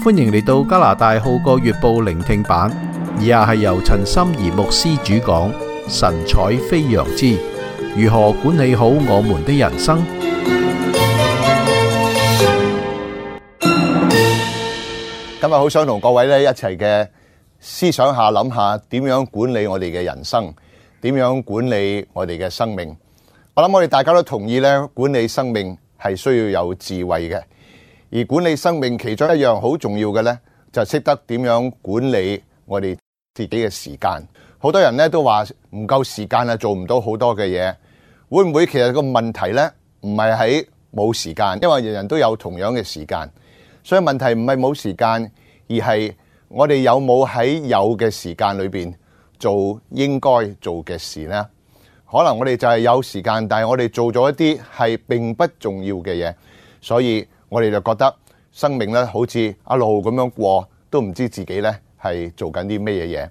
歡迎嚟到加拿大號角月報聆聽版，以下係由陳心怡牧師主講，神采飛揚之如何管理好我們的人生。今日好想同各位咧一齊嘅思想下，諗下點樣管理我哋嘅人生，點樣管理我哋嘅生命。我諗我哋大家都同意咧，管理生命係需要有智慧嘅。而管理生命其中一樣好重要嘅咧，就識得點樣管理我哋自己嘅時間。好多人咧都話唔夠時間啊，做唔到好多嘅嘢。會唔會其實個問題咧唔係喺冇時間，因為人人都有同樣嘅時間，所以問題唔係冇時間，而係我哋有冇喺有嘅時間裏邊做應該做嘅事呢？可能我哋就係有時間，但係我哋做咗一啲係並不重要嘅嘢，所以我哋就覺得生命咧好似一路咁樣過，都唔知自己咧係做緊啲咩嘢。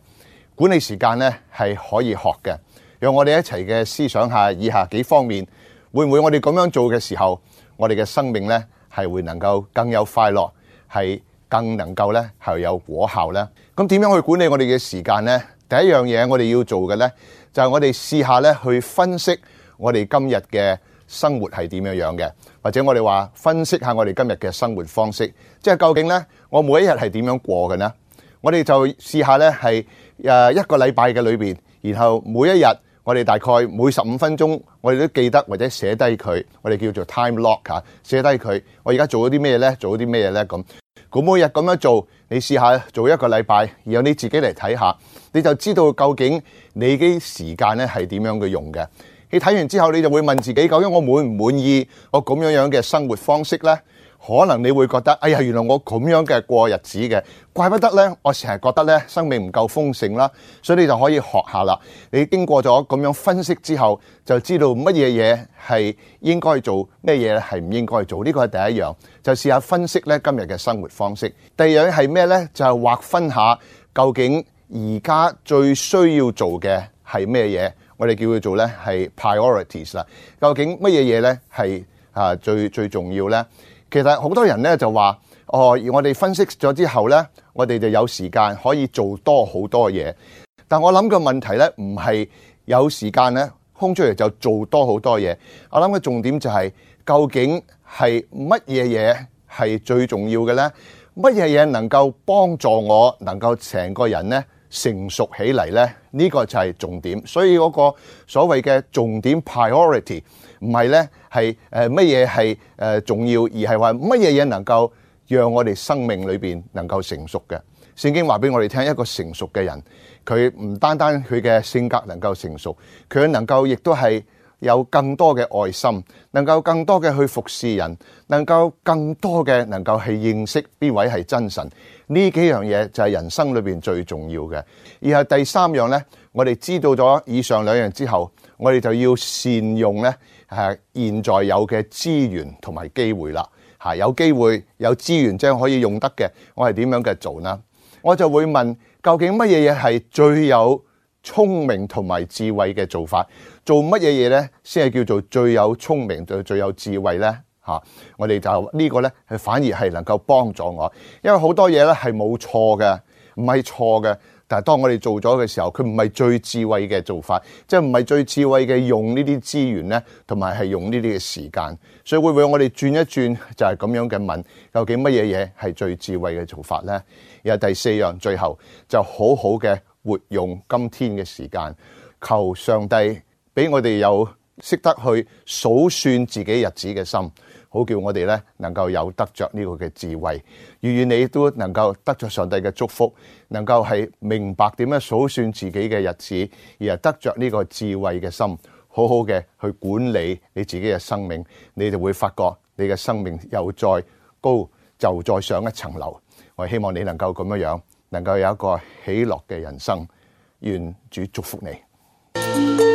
管理時間咧係可以學嘅，讓我哋一齊嘅思想下以下幾方面，會唔會我哋咁樣做嘅時候，我哋嘅生命咧係會能夠更有快樂，係更能夠咧係有果效咧？咁點樣去管理我哋嘅時間呢？第一樣嘢我哋要做嘅咧，就係我哋試下咧去分析我哋今日嘅生活係點樣嘅，或者我哋話分析下我哋今日嘅生活方式，即係究竟咧我每一日係點樣過嘅呢？我哋就試下咧係一個禮拜嘅裏邊，然後每一日我哋大概每15分鐘，我哋都記得或者寫低佢，我哋叫做 time log 嚇，寫低佢。我而家做咗啲咩咧？做咗啲咩咧？咁每日咁樣做，你試下做一個禮拜，然後你自己嚟睇下，你就知道究竟你嘅時間咧係點樣嘅用嘅。你睇完之後，你就會問自己，究竟我滿唔滿意我咁樣嘅生活方式呢？可能你會覺得，哎呀，原來我咁樣嘅過日子嘅，怪不得呢。我成日覺得呢，生命唔夠豐盛啦，所以你就可以學下啦。你經過咗咁樣分析之後，就知道乜嘢嘢係應該做，咩嘢係唔應該做。呢個係第一樣，就試下分析呢今日嘅生活方式。第二樣係咩呢？就係劃分下究竟而家最需要做嘅係咩嘢。我哋叫佢做咧係 priorities 啦。究竟乜嘢嘢咧係最重要咧？其實好多人咧就話我哋分析咗之後咧，我哋就有時間可以做多好多嘢。但我諗個問題咧，唔係有時間咧空出嚟就做多好多嘢。我諗嘅重點就係究竟係乜嘢嘢係最重要嘅咧？乜嘢嘢能夠幫助我能夠成個人咧成熟起嚟呢？呢個就係重點。所以嗰個所謂嘅重點 priority 唔係呢係乜嘢係重要，而係話乜嘢嘢能夠讓我哋生命裏邊能夠成熟嘅。聖經話俾我哋聽，一個成熟嘅人，佢唔單單佢嘅性格能夠成熟，佢能夠亦都係有更多嘅愛心，能夠更多嘅去服侍人，能夠更多嘅能夠去認識邊位係真神。呢幾樣嘢就係人生裏邊最重要嘅。而係第三樣呢，我哋知道咗以上兩樣之後，我哋就要善用呢現在有嘅資源同埋機會啦。有機會有資源即係可以用得嘅，我係點樣嘅做呢？我就會問，究竟乜嘢嘢係最有聰明同埋智慧嘅做法？做乜嘢嘢呢先係叫做最有聰明最有智慧呢？我哋就呢個呢係反而係能夠幫助我，因為好多嘢呢係冇錯嘅，唔係錯嘅。但係當我哋做咗嘅時候，佢唔係最智慧嘅做法，即係唔係最智慧嘅用呢啲資源呢，同埋係用呢啲嘅時間。所以會唔會我哋轉一轉，就係咁樣嘅問，究竟乜嘢嘢係最智慧嘅做法呢？然後第四樣，最後就好好嘅活用今天嘅時間，求上帝俾我哋有識得去數算自己日子嘅心，好叫我哋咧能夠有得着呢個嘅智慧。願你都能夠得着上帝嘅祝福，能夠係明白點樣數算自己嘅日子，而係得着呢個智慧嘅心，好好嘅去管理你自己嘅生命，你就會發覺你嘅生命又再高，就再上一層樓。我希望你能夠咁樣，能夠有一個喜樂嘅人生。願主祝福你。